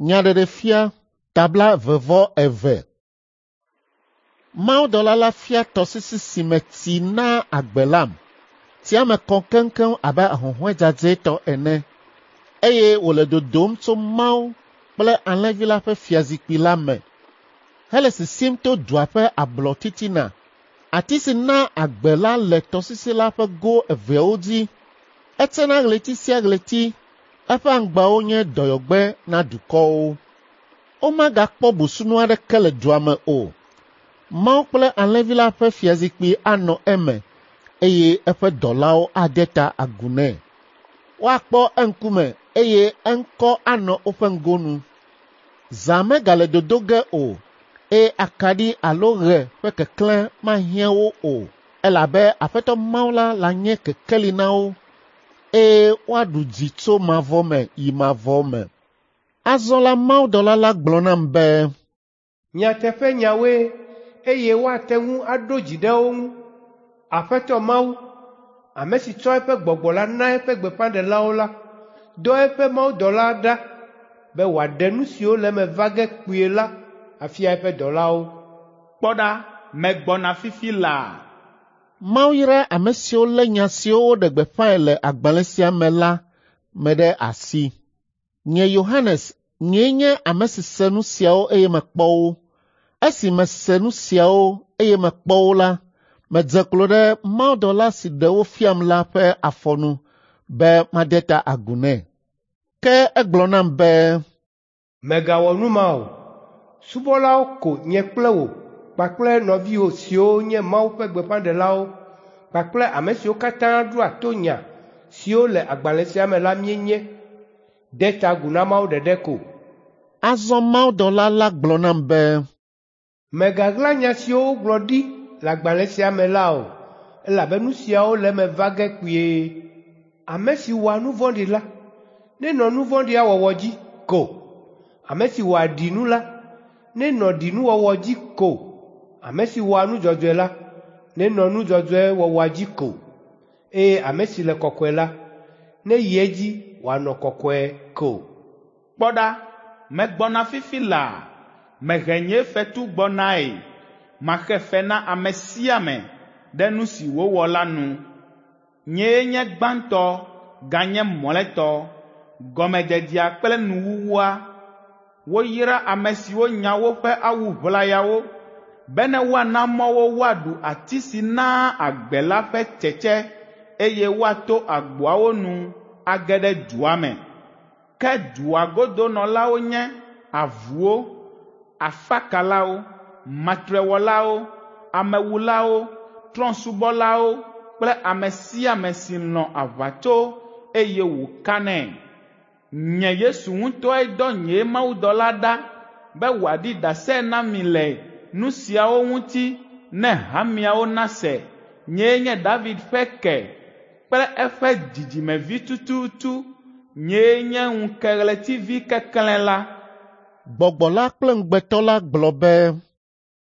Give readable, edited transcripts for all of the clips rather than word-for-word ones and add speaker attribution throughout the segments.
Speaker 1: Nyaɖeɖefia tabla vevɔ eve. Mawudɔla la fia tɔsisi si me tsi naa agbe lam. Tsia me kɔ keŋkeŋ abe ahuhɔ̃e dzadzɛtɔ ene eye wòle dodom tso Mawu kple Alẽvi la ƒe fiazikpui la me hele sisim to dua ƒe ablɔ titina. Ati si naa agbe la le tɔsisi la ƒe go eveawo dzi. Etsena ɣleti sia ɣleti. Eƒe aŋgbawo nye dɔyɔgbe na dukɔwo. Womagakpɔ busunu aɖeke le dua me o. Mawu kple Alẽvi la ƒe fiazikpui anɔ eme eye eƒe dɔlawo ade ta agu nɛ. Woakpɔ eŋkume eye eŋkɔ anɔ woƒe ŋgonu. Zã megale dodo ge o eye akaɖi alo ɣe ƒe keklẽ mahiã wo o elabe Aƒetɔ Mawu la lanye kekeli na wo eye woaɖu dzi tso mavɔ me yi mavɔ me. Azɔ la mawudɔla la gblɔ nam be,
Speaker 2: Nyateƒenyawoe eye woate ŋu aɖo dzi ɖe wo ŋu. Aƒetɔ Mawu, ame si tsɔ eƒe gbɔgbɔ la na eƒe gbeƒãɖelawo la, dɔ eƒe mawudɔla ɖa be wòaɖe nu siwo le eme va ge kpuie la afia eƒe dɔlawo.
Speaker 3: Kpɔ ɖa, megbɔna fifi laa.
Speaker 1: Mawu yra ame siwo lé nya siwo woɖe gbeƒãe le agbalẽ sia me la me ɖe asi. Nye Yohanes, nyee nye ame si se nu siawo eye mekpɔ wo. Esi mese nu siawo eye mekpɔ wo la, medze klo ɖe mawudɔla si ɖe wo fiam la ƒe afɔ nu be made ta agu nɛ. Ke egblɔ nam be,
Speaker 2: Mègawɔ nu ma o. Subɔlawo ko nye kple wò kpakple nɔviwò siwo nye Mawu ƒe gbeƒãɖelawo kpakple ame siwo katã ɖoa to nya siwo le agbalẽ sia me la míenye. De ta agu na Mawu ɖeɖe ko.
Speaker 1: Azɔ mawudɔla la gblɔ nam be,
Speaker 2: Mègaɣla nya siwo wogblɔ ɖi le agbalẽ sia me la o, elabe nu siawo le eme va ge kpuie. Ame si wɔa nu vɔ̃ɖi la, nenɔ nu vɔ̃ɖia wɔwɔ dzi ko. Ame si wɔa ɖinu la, nenɔ ɖinuwɔwɔ dzi ko. Ame si wɔa nu dzɔdzɔe la, nenɔ nu dzɔdzɔe wɔwɔa dzi ko. Eye ame si le kɔkɔe la, neyi edzi wòanɔ kɔkɔe ko.
Speaker 3: Kpɔ ɖa, megbɔna fifi laa. Mehe nye fetu gbɔnae. Maxe fe na ame sia ame ɖe nu si wòwɔ la nu. Nyee nye gbãtɔ ganye mlɔetɔ, gɔmedzedzea kple nuwuwua. Woyra ame siwo nya woƒe awu ʋlayawo bene woana mɔ wo woaɖu ati si naa agbe la ƒe tsetse eye woato agboawo nu age ɖe dua me. Ke dua godonɔlawo nye avuwo, afakalawo, matrewɔlawo, amewulawo, trɔ̃subɔlawo kple ame sia ame si lɔ̃ aʋatso eye wòkanɛ. Nye Yesu ŋutɔe dɔ nye mawudɔla ɖa be wòaɖi ɖase na mi le nu siawo ŋuti ne hameawo nase. Nyee nye David ƒe ke kple eƒe dzidzimevi tututu. Nyee nye ŋukeɣletivi keklẽ la.
Speaker 1: Gbɔgbɔ la kple ŋugbetɔ la gblɔ be,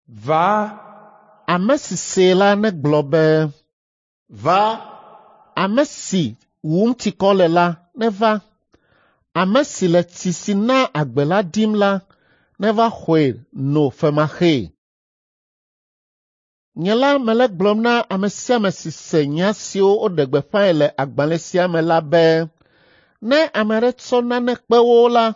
Speaker 2: Va!
Speaker 1: Ame si see la negblɔ be,
Speaker 4: Va!
Speaker 1: Ame si wum tsikɔ le la neva. Ame si le tsi si naa agbe la dim la neva xɔe no femaxee. Nye la mele gblɔm na ame sia ame si se nya siwo woɖe gbeƒãe le agbalẽ sia me la be, ne ame aɖe tsɔ nane kpe wo la,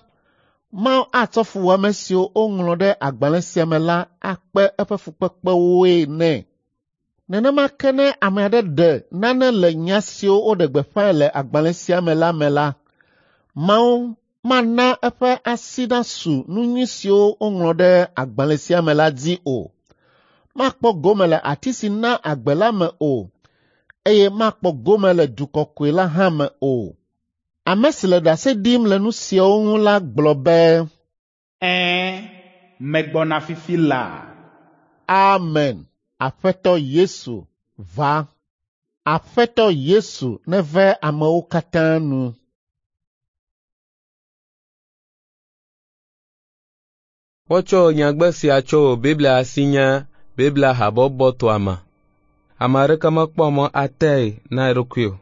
Speaker 1: Mawu atsɔ fuwɔame siwo woŋlɔ ɖe agbalẽ sia me la akpe eƒe fukpekpewoe nɛ. Nenema ke ne ame aɖe ɖe nane le nya siwo woɖe gbeƒãe le agbalẽ sia me la me la, Mawu mana eƒe asi nasu nu nyui siwo woŋlɔ ɖe agbalẽ sia me la dzi o. Makpɔ gome le ati si na agbe la me o, eye makpɔ gome le du kɔkɔe la hã me o. Ame si le ɖase ɖim le nu siawo ŋu la gblɔ be,
Speaker 3: Ɛ̃, megbɔna fifi laa.
Speaker 1: Amen. Aƒetɔ Yesu, va. Aƒetɔ Yesu neve amewo katã nu.
Speaker 5: Wotsɔ nyagbe sia tso Biblia si nye Biblia Habɔbɔ tɔa me. Ame aɖeke mekpɔ mɔ atee na eɖokui o.